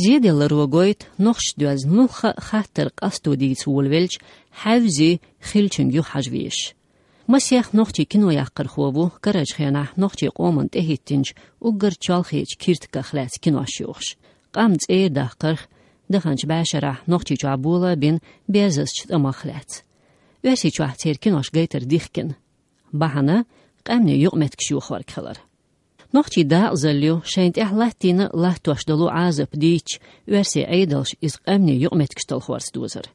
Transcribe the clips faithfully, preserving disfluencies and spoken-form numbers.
Зеделларо гойту, нохчашца доьзна муьлхха а хаттар къасто дийца волавелча, хьаьвзи хиллачуьнга юхахьажа везаш. Масех нохчий кинояккхархо ву карарчу хенахь нохчийн къоман тӀехӀиттинчу уггар чолхечу киртаках лаьцна кинош йохуш. Къам цӀера даккхарх, даханчу бӀешарахь Нохчийчохь бола а бина, берзазчу тӀамах лаьцна. Оьрсийчохь церан кинош гайтар дихкина. Бахьана къаьмнийн юкъаметтигаш йохорг хилар. Нохчийн дакъазалла ю, шайна тӀехь латтийна а латтош долу Ӏазап дийцча, оьрсийн Ӏедалша иза къаьмнийн юкъаметтигаш талхорца дозар.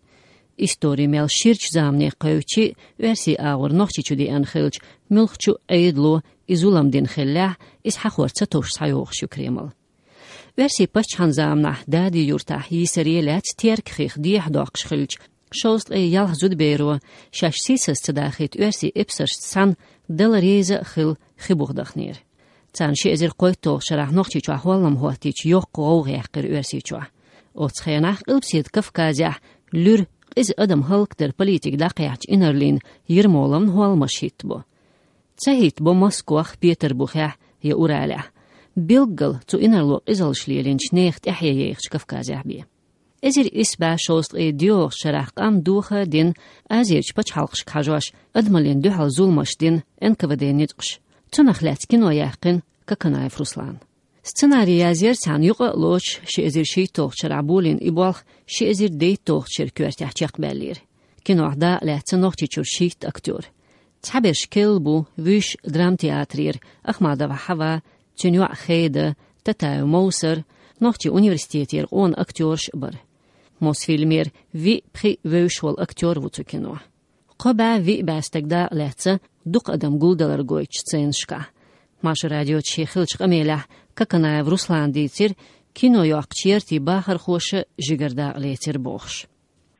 Истори мел ширачу замане кхевчи, оьрсийн агӀор Нохчийчу деана хилча, муьлххачу а Ӏедало и зулам дина хиллехь, иза хьахор ца товш схьайогӀуш ю Кремль. Оьрсийн паччахьан заманахь Дади-Юртахь йийсаре лаьцна Теркан хих дехьадоккхуш хилча, шовзткъе ялх зудаберо, шаьш сийсаз ца дахийта, оьрсийн эпсаршца цхьаьна дала реза а хилла, хи буха дахнера. Царна ши эзар кхойтталгӀачу шарахь Нохчийчохь хӀоллам хӀоттийча йоккха гӀовгӀа яьккхира Оьрсийчохь. Оцу хенахь Къилбаседа Кавказехь луьра къиза адам хӀаллакдар политика дӀакхехьча инарлина Ермоловна хӀолламаш хӀиттабо. Ца хӀиттабо Москвахь, Петарбухехь я Уралехь. Билггал цу инарло къизаллаш лелийначу нехан тӀаьхье яйхачу Кавказехь бен. Эзар исс бӀе шовзткъе диъолгӀачу шарахь къам доха а дина, Азерчу пачхьалкхашка хьажош, адамаллина дуьхьал зуламаш дина Н К В Д ницкъаша. Цунах лаьцна кино яьккхина Коканаев Руслана. Сценарий язъяра цхьана юкъа а лоцуш, ши эзар шийтталгӀачу шарахь болийна и болх ши эзар дейтталгӀачу шеран коьртехь чекхбаьллера. Кинох дакъа лаьцна Нохчийчуьра шийтта актёр. Цхьаберш керла бу, вуьш драмтеатрера: Ахмадова Хьава, цуьнан йоӀ Хеда, Татаев Мовсар, нохчийн университетера къона актёраш а бара. Мосфильмера виъ-пхиъ вевзаш волу актёр ву цу кино. Кхо бӀе виъ бӀе стаг дакъа лаьцна дукха адам гулдалар гойтучу сценашкахь. Маршо радиоца шен хиллачу къамелехь Коканаев Руслана дийцира, кино йоккхучу яртийн бахархоша жигара дакъа лецира бохуш.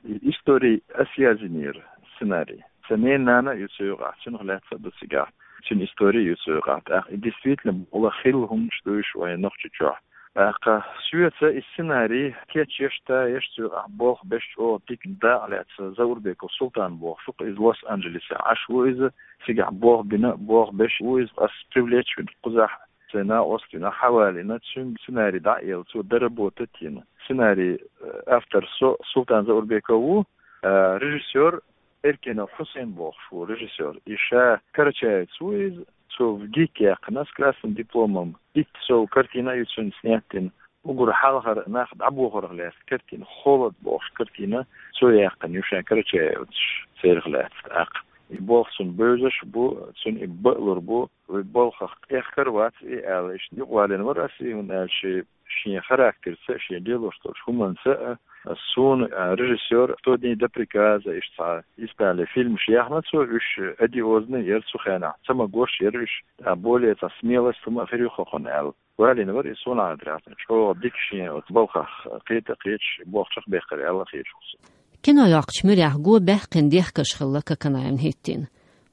И истори ас язйинера, сценарий. Сан ненан нана а ю цу юкъахь, цунах лаьцна а ду цигахь. Цуьнан истори а ю цу юкъахь. ТӀаккха и действительно бакъ хилла хӀуманаш ду уьш вайн Нохчийчохь. ТӀаккха соьца и сценарий кечъеш, тӀаеш, цу юкъахь болх беш, чӀогӀа дика дакъа лаьцна Заурбеков Султан бохуш ву-кх, иза Лос-Анджелесехь Ӏаш ву иза, цигахь болх бина, болх беш ву иза, ас привлечь вина кхузахь, сайн накъост вина, хьавалийна, цуьнга сценарий дӀа а елла, цо доработать а йина. Сценарий, э, автор со, Султан Заурбеков ву, э, режиссёр Эркенов Хьусен бохуш ву режиссёр. И ша карачаевец ву иза, цо в ГИК яьккхина с красным дипломом. Итт сов картина а ю цуьнан снять йина. Уггар хьалхара нах дӀабохорах лаьцна картина, «Холод» бохуш картина, цо яьккхина ю, ша карачаевцаш церах лаьцна тӀаккха. И болх цунна бевзаш а бу, цунна и баалур бу, вай балхах тӀехкар а вац и аьлла, иштта юкъавалийна вара ас и, хӀунда аьлча шен характерца а, шен лелош долчу хӀуманца а, суна, а, режиссёр «Сто дней до приказа», иштта цхьа Итале фильмаш яьхна цо, уьш одиозный яра цу хенахь, ца магош яра уьш, а, более цхьа смелость хӀума а хир ю-кх хӀокхунна аьлла. Валийна вара и, суна хетарехь, чӀогӀа дика шен оцу балхах кхета а кхеташ, болх чекхбаьккхира аьлла а хеташ ву со. Кино йоккхучу муьрехь го баьккхина дехкаш хилла Коканаевна хӀиттийна.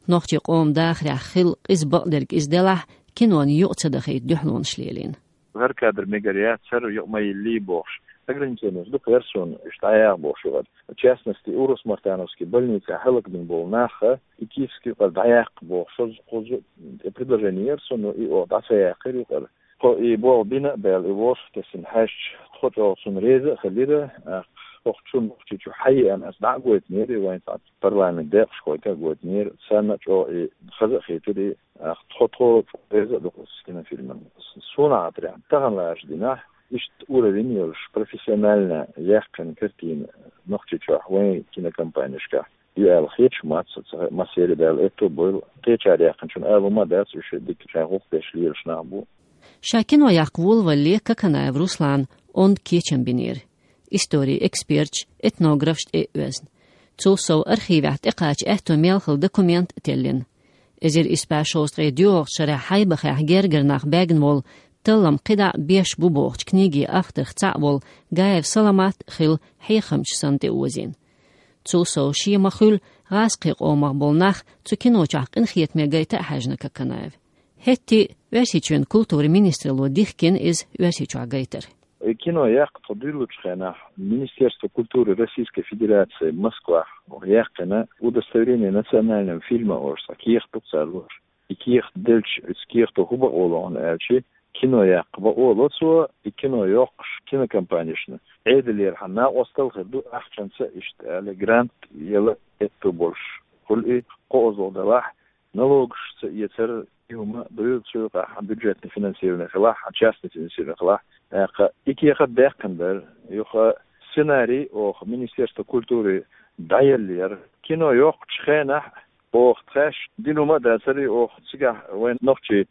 Нохчийн къоман дахарехь хилла къиза бакъдерг иза делахь, кинона юкъа ца дахийта дуьхьалонаш лелийна. ХӀара кадр мегар яц, хӀара юкъа ма йиллий бохуш, ограничениеш дукха яра суна, уьш дӀаяха бохуш юкъара. В частности, Урус-Мартановский больницехь хӀаллакбина болу нах а, и Киевский юкъара дӀаяккха бохуш, шозза-кхузза предложени яра суна, но и оха дӀа ца яьккхира юкъара. Тхо и болх бина а баьлла, и вовшахтесна хьаьжча, тхо чӀогӀа цунна реза а хиллера, а, хӀокху чу Нохчийчу хьаеана аса дӀа а гойтинера, и вайн цхьа парламент декъашхойга а гойтинера, царна а чӀогӀа и хаза а хийтира, и, а, тхо, тхо чӀогӀа реза а ду оцу кинофильмана. Суна хетарехь, тахана лаьттачу дийнахь, иштта уровень йолуш, профессионально яьккхина картина Нохчийчохь вайн кинокомпанешкахь ю аьлла хеташ ма дац, ца массеран а даьлла аьтто а бойла, кхечара яьккхинчун ала хӀума а дац, уьш дика шайн гӀуллакх деш лелаш нах бу. Ша кино яккха волавалале Коканаев Руслана онда кечам бинера. Историн эксперташ, этнографаш тӀе а оьзна. Цул сов архивехь тӀекхача аьтто мел хилла документ а теллина. Эзар исс бӀе шовзткъе доьалгӀачу шарахь Хьайбахехь гергара нах баьгна волу, таллам кхидӀа а беш бу бохучу книгин авторх цхьаъ волу Гаев Саламат а хилла хьехамча санна тӀеозийна. Цул сов шен ма-хуьллу гӀазкхийн къомах болу нах цу кино чохь къинхетаме гайта а хьаьжна Коканаев. ХӀетте а Оьрсийчоьнан культуран министралло дихкина иза Оьрсийчохь гайтар. И кино яккха тхо дуьйлучу хенахь Министерство культуры Российской Федерации Москвахь яьккхина удостоверение национального фильма олуш цхьа кехат ду-кх цара луш. И кехат делча, оцу кехато хӀун бакъо ло хьуна аьлча, кино яккха бакъо ло цо, и кино йоккхуш кинокомпанешна. Ӏедалера хьан накъостал хир ду ахчанца, иштта аьле, грант яла аьтту болуш хуьлу и, кхозлагӀа далахь, налогаш ца эцар, и хӀума дуьйцу юкъахь, хьан бюджетный финансирование хилахь, хьан частный финансирование хилахь. ТӀаккха и кехат даьккхина дара, юха сценарий оха Министерство культуры дӀаеллера. Кино йоккхучу хенахь оха тхаьш дина хӀума а дацара, и оха цигахь вайн нохчий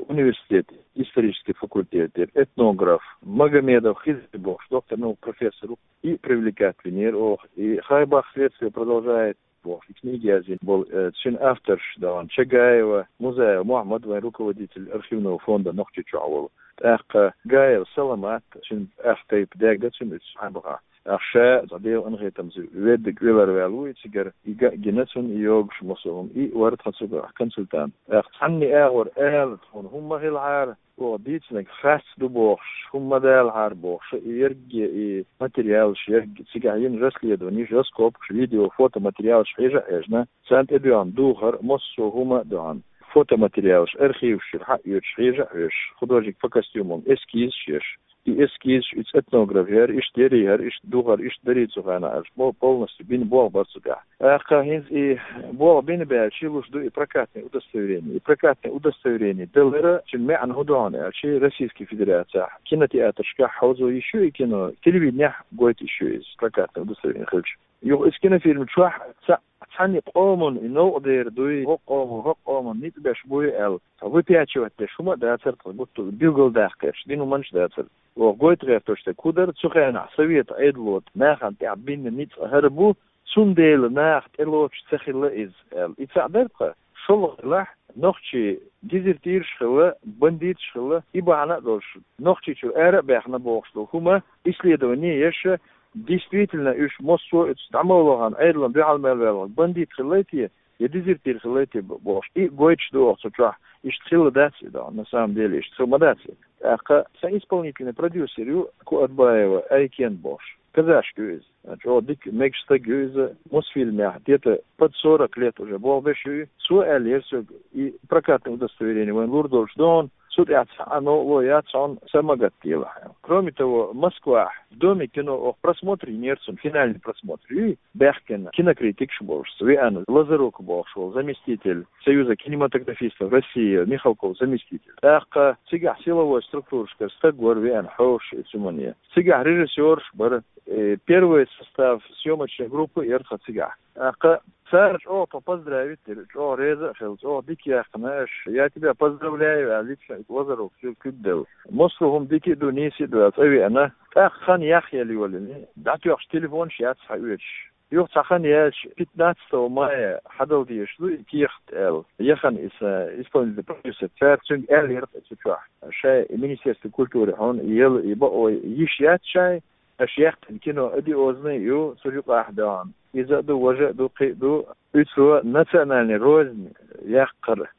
университет, исторический факультет, этнограф Магомедов Хизри бохуш, доктор наук, профессор ву, и привлекать винера оха, и Хайбах следствие продолжает бохуш, и книги яздина болу, э, цуьнан авторш дан Чагаева Музаева Мухьаммад, вайн руководитель архивного фонда Нохчийчохь волу. ТӀаккха Гаева Саламат, цуьнан ах тайпа даьгда цуьнан уьцу Хайбахахь. ТӀаккха ша, цхьа Делан къинхетамца, веддиг велар ваьлла ву и цигара, и ган а гина цунна, и йогуш массо а хӀума, и вара тхан цуьнга консультант. ТӀаккха цхьанне агӀор ала тхуна хӀума ма хилахьара, оха дийцинарг харц ду бохуш, хӀума ма далахьара бохуш, и ерриге и материалаш, ерриге цигахь йина расследованеш, раскопкаш, видео, фотоматериалаш хьежа а хьежна, царна тӀедоьгӀна духар, массо а хӀума а доьгӀна, фотоматериалаш, архиваш чуьра хьаоьцуш, хьежа а хьоьжуш, художник по костюмам эскизаш еш. И эскизаш, иза этнограф яра, иштта яра, яра, иштта духар, иштта дарий цу хенахь аьлча, бо-, полностью бина болх бара цу тӀехь. ТӀаккха хӀинца и болх бина баьлча, луш ду и прокатный удостоверение. И прокатный удостоверение далара, цуьнан маьӀна хӀун ду хьуна аьлча, Российский Федерацехь кинотеатрашкахь хьовзо йиш ю и кино, телевиденехь гойту йиш ю иза, прокатный удостоверение хилча. Юха иза кинофильм чохь ца-, цхьанне къоман и новкъа дер дуй, хӀокху къоман, хӀокху къоман ницкъ беш буй аьлла, цхьа выпячивать деш хӀума а дацара тхан гуттар, билгалдаккха гӀерташ дина хӀуманаш дацара. Оха гойту гӀерташ дерг хӀун дара, цу хенахь совет Ӏедало нахана тӀехь бина ницкъ хӀара бу, цундела наха тӀелоцуш ца хилла иза аьлла. И цхьаъ дара тхан. ШолгӀа делахь, нохчий дезертираш а хилла, бандиташ а хилла, и бахьана а долуш, Нохчийчуьра ара а баьхна бохуш долу хӀума, исследование еш, действительно уьш массо а оцу дӀа ма вахана Ӏедална дуьхьал мел ваьлла бандит хиллай те, я дезертир хиллай те бохуш. И гойтуш ду оха цу чохь, иштта хилла дац и, да, на самом деле, иштта хилла ма дац и. ТӀаккха сан исполнительный продюсер ю Куатбаева Айкен бохуш. Казашка ю иза. ЧӀогӀа дика мегаш стаг ю иза. Мосфильмехь где-то под сорок лет уже болх беш ю. Цо аьллера соьга, и прокатное удостоверение вайн лур долуш ду хьуна, цу тӀехь цхьа новкъарло яц хьуна, са ма гатделахь. Кроме того, Москвахь в Доме кино оха просмотр йинера цунна, финальный просмотр ю, баьхкина кинокритикаш болуш, веана Лазарук бохуш волу заместитель Союза кинематографистов России, Михалков заместитель. ТӀаккха цигахь силовой структурашкара стаг вара веана хьоьжуш и цу хӀумане. Цигахь режиссераш бара, э, первый состав съёмочной группы яра тхан цигахь. ТӀаккха цара чӀогӀа тхо поздравить дира, чӀогӀа реза а хилла, чӀогӀа дика яьккхина аша, я тебя поздравляю, аьлла, лично Лазарук цуьнга куьг делла. Массо а хӀума дика а ду, нийса а ду аьлла, цӀа веана. ТӀаккха хан яхъяла йолийна, дӀатоьхча телефонаш яц хьаоьцуш. Юха цхьа хан яьлча, пятнадцатого мая хьадала дезаш ду и кехат аьлла. Яхана иза исполнительный продюсер, цара цуьнга аьллера цу чохь. Шайн и Министерство культуры хьуна и яла, и бакъо йиш яц шайн, аша яьккхина кино одиозный ю, цу юкъахь дан. Иза а ду, важа а ду, кхин а ду. Уьцо национальный рознь яккхар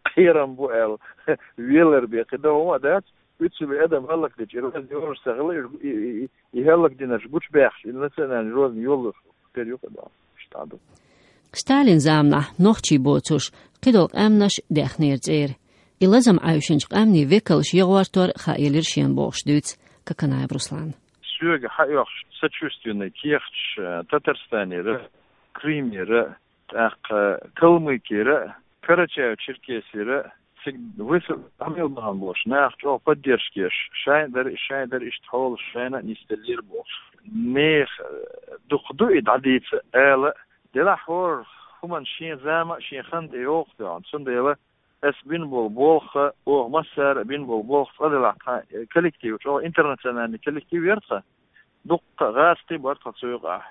кхерам бу аьлла, велар бен кхин дан хӀума а дац. Уьцу адам хӀаллакдича, и рознь йолуш ца хилла, и, и, и, и хӀаллакдинарш гучубаьхча, и национальный рознь йолуш тера ю кхин дан. Иштта ду. Сталин заманахь нохчий боцуш кхидолу къаьмнаш даьхнера цӀера. И лазам Ӏаьвшинчу къаьмнийн векалш ягӀортор хаъелира шена бохуш дуьйцу Коканаев Руслана. Соьга хьаоьхуш сочувственный кехаташ, э, Татарстанера, Крымера, тӀаккха Калмыкера, Карачаево-Черкесера, цига весел Амилбан болуш нах чӀогӀа поддержка еш, шайн дара, шайн дара, иштта хьолаш шайна а нисделлера бохуш. Нехан, э, дукха ду и дӀадийца ала, делахь хӀора хӀуманна шен зама а, шен хан а тӀейогӀу тхуна, цундела ас бина болу болх а, оха массара а бина болу болх цкъа делахь, тхан, э, коллектив, чӀогӀа интернациональный коллектив яра тхан. Дуккха гӀазкхий бара тхан цу юкъахь,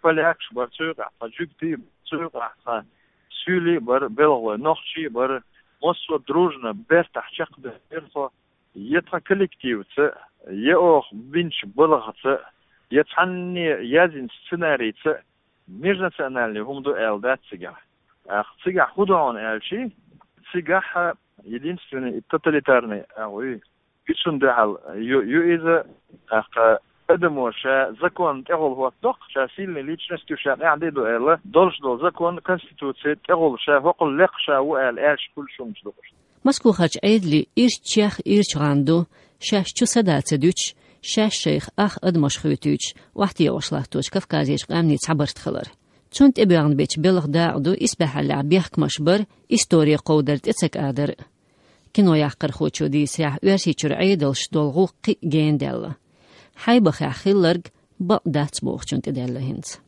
полякаш бара цу юкъахь, тхан жуьгтий бара цу юкъахь, тхан суьйлий бара, белхалой, нохчий бара, массо а дружно бертахь чекхбаьхкира тхо. Я тхан коллективца, я оха бинчу балхаца, я цхьанне яздинчу сценарийца, межнациональный хӀума ду аьлла дац цигахь. ТӀаккха цигахь хӀун ду хьуна аьлчи, цигахь единственный и тоталитарный агӀо ю. Ицунна дуьхьал ю, ю иза, тӀаккха адамо ша законна тӀегӀолла хӀоттадо-кх, ша сильный личность ю, ша къаьхьа де ду аьлла, долуш долу закон, конституци тӀегӀолла ша хӀокхул лекха ша ву аьлла, аьлча хуьлуш хӀуманаш ду-кх уьш. Москвахарчу Ӏедале ирччех ирча гӀан ду, шаьш чу са да ца дуьтуш, шаьш шайх ах адамаш хуьйтуьйтуш, охьатаӀош латточу Кавказерчу къаьмнийн цхьабарт хилар. Цунна тӀебоьгӀна бечу белхан дакъа ду исбаьхьаллехь бехкамаш бар, истори кховдар тӀе ца кӀадар. Кинояккхархочо дийцарехь, Оьрсийчуьра Ӏедалш долу гӀуллакх кхин а генадаьлла. Хьайбахехь хилларг бакъ дац бохучунна тӀедаьлла хӀинца.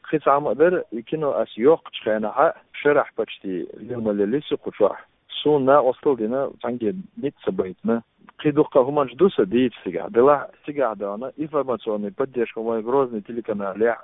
Кхин цхьа хӀума а дара, и кино ас йоккхучу хенахь, шарахь почти лела ма леллий со кху чохь. Суна накъосталла дина, цхьаьнгге ницкъ ца байтина. Кхин дуккха хӀуманаш ду сан дийца цигахь. Делахь цигахь даьхна информационный поддержка вайн Грозный телеканалехь,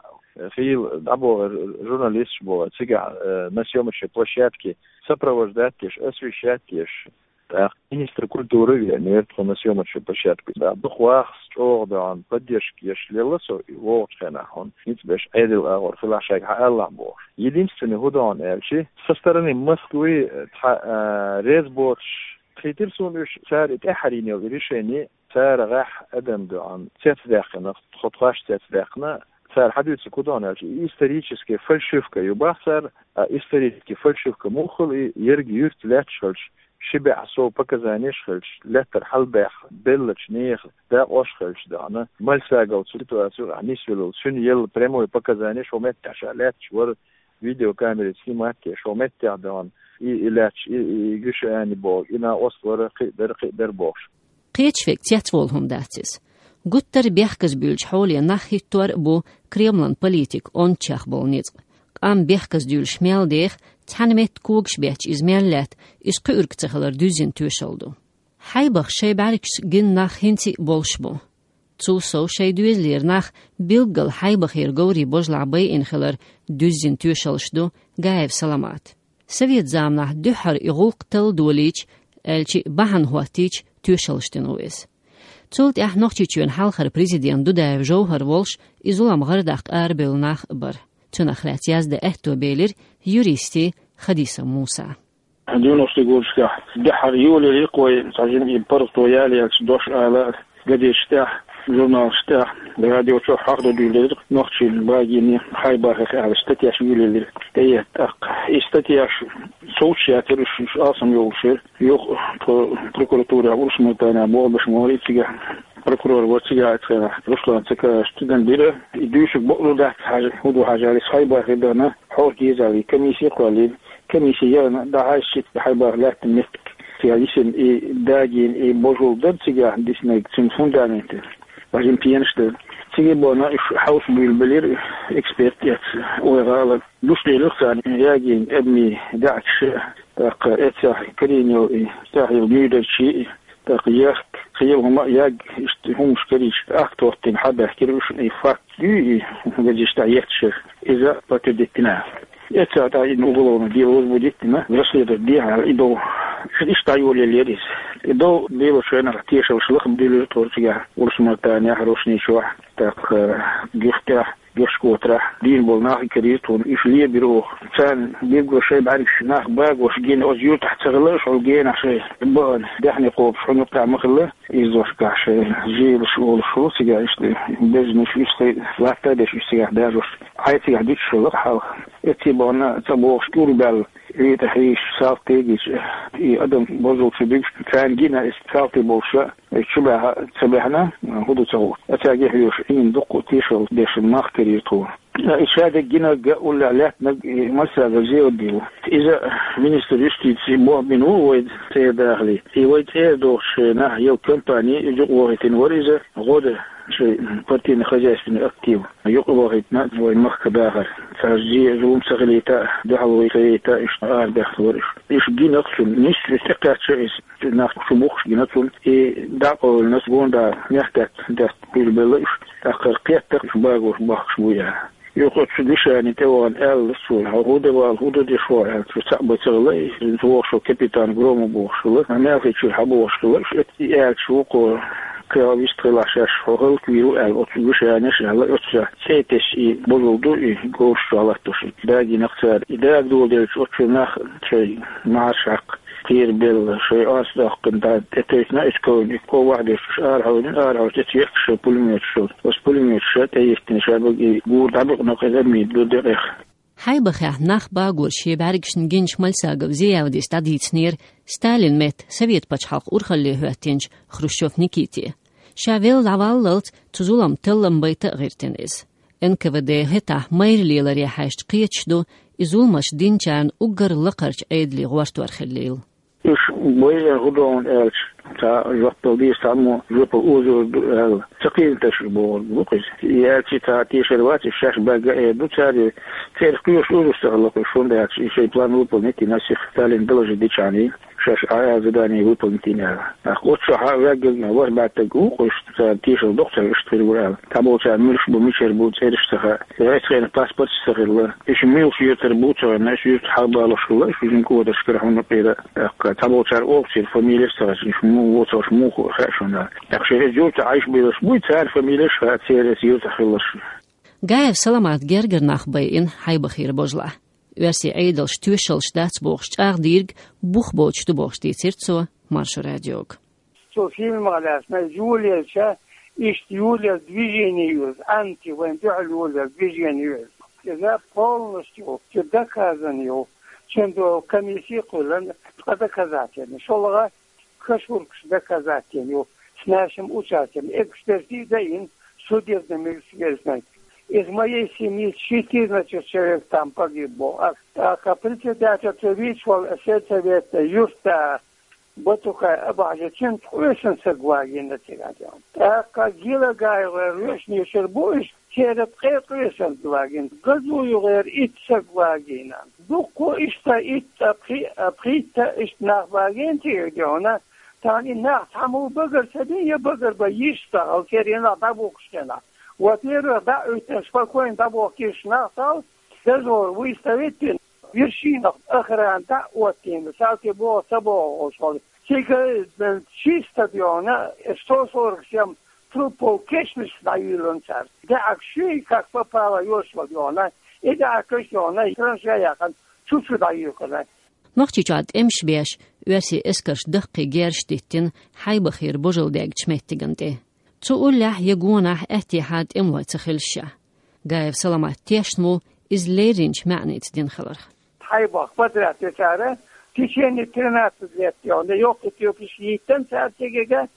хийла дӀабогӀура журналисташ боху, цигахь, э, на съёмочной площадке сопровождать деш, освещать деш. ТӀаккха министр культуры веанера тхо на съёмочную площадку. Да, дукха вахас чӀогӀа даьхна поддержка еш лелла со и вогӀучу хенахь хьуна. ХӀинца беш Ӏедал агӀор хилахь шайга хьаалалахь бохуш. Единственный хӀун даьхна аьлчи, со стороны Москвы цхьа, а, реза боцуш хийтира суна уьш, цара и тӀаьххьара йина йолу решение, цара гӀехь адам даьхна цецдаьккхина, тхо тхош цецдаьккхина, цара хьадуьйцург хӀун даьхна аьлчи, и историческая фальшивка ю бах цара, а историческая фальшивка муха хуьлу и ерриг юьрта лаьтташ хилча, ши бӀе сов показанеш хилча, лаьттара хьалабаьхна беллачу нехан дакъош хилча даьхна, Мальсагов цу ситуацехь нисвелла, цуьнан елла прямой показанеш хӀокху меттехь ша лаьтташ вара, видеокамерий снимать еш хӀокху меттехь даьхна, и, и лаьтташ, и, и, и Гуьшани боху, и накъост вара, кхин а дара, кхин а дара бохуш. Кхечу верг цецволу хӀума дац иза. Гуттар а бехказбуьйлучу хьоле нах хӀиттор а бу Кремлан политикан онда чекхболу ницкъ. Къам бехказдуьйлуш мел деха, цхьана метта когаш бетташ иза мел лаьтта, иза кхуьург ца хилар дуьззина тоьшалла ду. Хьайбах шайн бӀаьргашца гина нах хӀинца а болуш бу. Цул сов шайн доьзалера нах билггал Хьайбахера говрийн божалахь байина хилар дуьззина тоьшаллаш ду Гаев Саламата. Совет заманахь дуьххьара и гӀуллакх талла долийча, аьлчи бахьана хӀоттийча, тоьшаллаш дина ву иза. Цул тӀаьхьа Нохчийчоьнан хьалхара президент Дудаев Жовхар волуш, и зулам гӀардаккха арабевлла нах а бара. Цунах лаьцна яздан аьтто белира юристи Хадисов Муса. Девяностый годашкахь дуьххьара йолаелира-кх вай цхьа жимма и паргӀато ялаелча дош ала, газеташ тӀехь, журналаш тӀехь, радио чохь хьахдо дуьйлаелира, нохчийн багийна Хьайбахех аьлла статьяш йолаелира. ТӀеэцна тӀаккха и статьяш совцуш яцара уьш, уьш алсам йолуш яра. Юха тхо прокуратурехь Урус-Мартанехь болх беш ма вара и цигахь. Прокурор вара цигахь оцу хенахь Руслан Цакаевич, цигахь бира. И дуьйцург бакъ ду дац хьажа, хӀун ду хьажа аьлча, Хьайбахе даьхна хьовса деза аьлла, комисси кхоьллина. Комисси яхана, дӀахьаьжча, Хьайбах лаьттина меттиг цигахь йисина и дагийна и божал дара цигахь диснарг, цуьнан фундамент. Бажин пенаш дара. Цига бахана уьш хьовса буьйлабелира эксперт эцна, вай гӀала. Гуш лелира царна ягийна адамийн даьӀахкаш, тӀаккха эццахь карийна йолу и, тӀехь йолу нуьйдарчий, тӀаккха ехк, кхин хӀума а ягна, иштта хӀуманаш карийча, акт хӀоттийна хьабаьхкира уьш, и факт ю и газеташ тӀехь етташ. Иза подтвердить дина. Эццахь тӀаккха и уголовное дело возбудить дина, расследовать дехьа и дов. Иштта йолаелира иза. И дов лелочу хенахь тешаллаш лаха дуьллура тхо цигахь Урус-Мартанехь, Рошни чохь, тӀаккха Гуьртехь, Герчкотарахь дийна болу нах а карийра тхуна, уьш лебира оха. Царна билггал шайн бӀаьргаш нах багош гина оцу юьртахь ца хилла, уьш хьуна генахь шайн бахана даьхни кхобуш хьуна юккъехь ма хилла, иза дошкахь шайн желаш олуш ву цигахь, иштта безамаш уьш цхьа латта а деш уьш цигахь дажош, Ӏай цигахь дуьтуш хилла хьалха. Эццахь бахана цӀа богӀуш кӀур баьлла, витӀа хьийзаш, салти гича, и адам бозулчу дуьгуш, царна гина иза салти болуш, Иза чу баьхна ца баьхна, хӀун ду ца гӀо. Ацаьрга хьоьжуш, Ӏийна дуккха а тешалла деш нах карийра тхо. И шадерг гинарг а, уллехь лаьттинарг а, и массаьрга зева дийла. Иза министр юстиции бохбина ву вай цӀера дахале. И вай цӀера дохучу шайнахь йолу компани, и юкъавохийтина вара иза, гӀо дан шайн партийно-хозяйственный актив. Юкъавохийтина вай махка дахар. Цара зе а, зулам ца хилийта а, дуьхьал вай ца яйта а, иштта арабаьхна вара уьш. Уьш гина-кх цунна, нисса уьш тӀекхаьчча иза. Нах чу бухкуш гина цунна, и дӀакъовлина цо гондӀара мехкдаьтта даьтта буьйлабелла уьш, тӀаккха кхетта-кх уьш багош бохкуш буй аьлла. Юха оцу Гуьшани тӀе вахана аьлла цо: «Хьо хӀун де вала, хӀун де деш ву?» — аьлла. Цо цхьаъ бен ца хилла, иза вохуш волу капитан Громов бохуш хилла, Малхичуьра хьабохуш хилла, уьш и аьлча вукхо кхин вист хилахь шаьш хьо хӀаллаквийр ву аьлла, оцу Гуьшанеш аьлла, оццахь цӀе тесча и божал ду и говраш чохь латтош. Дагийна-кх цара. И дага доладелча оцу нах шайн маьхьарш хьакха. Кхерабелла, шайн орца доккхуш, дӀа тӀетевжина иза ковна, и ков вахдеш уьш арахьуьйлина, арахьуьйсуш тӀе ца етташ шайн пулеметаш йолу. Оцу пулеметаша тӀейиттина шадерг, и гур дӀабикъна-кх иза армин ду декъех. Хьайбахехь нах багор шен бӀаьргашна гинчу Мальсагов Зиявдис дӀадийцинера Сталин метта Совет пачхьалкх урхалле хӀоьттинчу Хрущев Никите. Ша велла дӀаваллалц цу зулам таллам байта а гӀиртина иза. Н К В Д хӀетахь майра леларе хьаьжча кхеташ ду, и зуламаш динчарна уггар лакхарчу Ӏедале гӀортор хиллийла. Уьш бойъина хӀун ду аьлча, цхьа жоп дала деза, цхьаммо жоп озор ду аьлла, ца кхийтинарш бохург бу-кх иза. И аьлча, цхьа тешар вац, уьш шаьш баьгга а эр ду цара, церах кхоьруш озуш ца хилла-кх уьш, хӀунда аьлча и шайн план выполнить йина, сих Сталин доложить дичхьана, шаьш а задание выполнить йина аьлла. ТӀаккха оццу чохь а ваьггаг а, ворхӀ бӀаьттаг а ву-кх уьш, цара тешар доккху цара иштта хир ву аьлла. Цхьаболчара муьлш бу, мичара бу, цӀераш ца хаьа. Вайца хенахь паспорташ ца хилла. Уьш муьлхачу юьртара бу ца хилла, уьш юьртахь хьалабалош хилла, уьш жима кӀодаршкара хьуна кхера. ТӀаккха цхьаболчара олуш церан фамилеш а ца хезча, уьш муха воцурш, муха хаьа шуна. ТӀаккха шайн иза юьртахь Ӏаш белаш буй, цара фамилеш а хаьа, церан иза юьртахь хилларш. Гаев Саламат гергара нах байина Хьайбахера божалахь. Оьрсийн Ӏедалш тоьшаллаш дац бохуш, чӀагӀдийриг бух боцуш ду бохуш дийцира цо Маршо радиога. Цо фильмах лаьцна, йолаелча, иштта йолаелла движение ю иза, анти вайн дуьхьал йолаелла движение ю иза. Иза полностью цу доказано ю, цундела комисси кхоьллина, ткъа доказательно. ШолгӀа кашуркаш доказательно ю, с нашим участием. Экспертиза йина, судебный медицинский. Из моей семьи четырнадцать человек там погибло. А, а председатель цу вийча волу сельсовета юьртда Батукай Абахьаджи, цуьнца къоьсина саг вагийна цигахь. ТӀаккха ГилагаевгӀеран вешнашкара бу уьш, церан ткъе къоьсина вагийна. ГазуевгӀеран итт саг вагийна. Дуккха иштта итт а пхи-, а пхийтта иштта нах вагийна цигахь. Тахана и нах цхьаммо багар ца бина, я багар бан йиш ца хилла, церан нах дӀабохкуш хенахь. Вот первых дӀа а уьттина, спокойно дӀабохкийша нах ца хилла, дозор выставить йина, вершинах охрана дӀа а оттийна, цхьалкхе боху ца бохуш волу. Цига, э, чисто дона, сто сорок семь трупов кешнашца дӀайуьйлура цара. ДаьӀахк шуьйра как попало йолуш вара дона, и даьӀахкаш дона, траншея яьккхина, чу-чу дӀайоькхура. Нохчийчохь тӀемаш беш, оьрсийн эскарш даккхий герзаш диттина Хьайбахера божалла даьгначу меттигна тӀе. Цу уллехь я гонахь аьттехьа тӀемалой ца хилча а. Гаев Саламат тешна ву иза лерринчу маьӀница дина хиларх. Хьайбах подряд тӀе цара, в течение тринадцать лет йона, йоккхачу йоккхуш йиттина цара цига,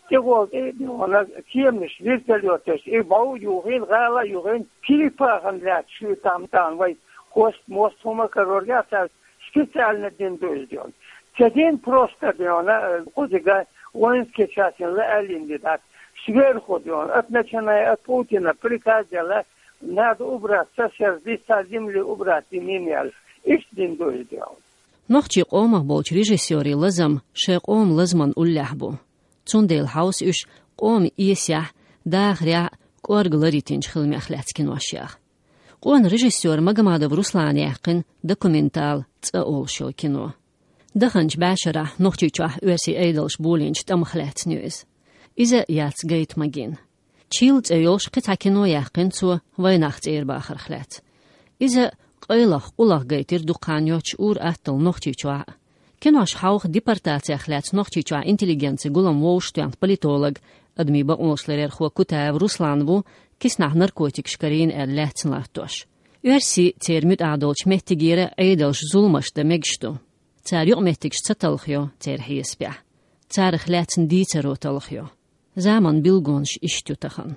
тӀехула тӀе йона, кеманаш, вертолеташ, и бӀов а юхийна, гӀала а юхийна, черепахана лаьцна шу там, там вай хост-мост хӀума кароргахь цара специально дина ду иза йона. Ца дина просто йона, кхузига воинский частина лаьаллина ди дац. Сверху йона, от начиная от Путина приказ делла, надо убрать со сердца, с земли убрать имени аьлла. Иштта дина ду иза йона. Нохчийн къомах болчу режиссерийн лазам шайн къоман лазаман уллехь бу. Цундела хьовса уьш къоман эсехь, дахарехь а кӀорга ларйитинчу хиламех лаьцна кинош яха. Къона режиссёра Магомадов Руслана яьккхина документал «ЦӀа» олуш йолу кино. Даханчу бӀешарахь Нохчийчохь оьрсийн Ӏедалша болийначу тӀамах лаьцна ю иза. Иза яц гайта магийна. «Чилла» цӀе йолуш кхин цхьа кино яьккхина цо вайнах цӀера бахарх лаьцна. Иза къайлаха, къуллаха гайтира дукха хан йоццуш ур-атталла Нохчийчохь а. Кинош хьовха депортацех лаьцна Нохчийчохь интеллигенцин гулам вовшахтоьхна политолог, адамийн бакъонашларъярхо Кутаев Руслан ву, киснахь наркотикаш карийна аьлла лаьцна латтош. Оьрсийн, церан муьтӀахь долчу меттигера Ӏедалша зуламаш дан мегаш ду. Цара юкъаметтигаш ца талхайо, церан хьесапехь. Царах лаьцна дийцаро талхайо. Заман билгалонаш иштта ю тахана.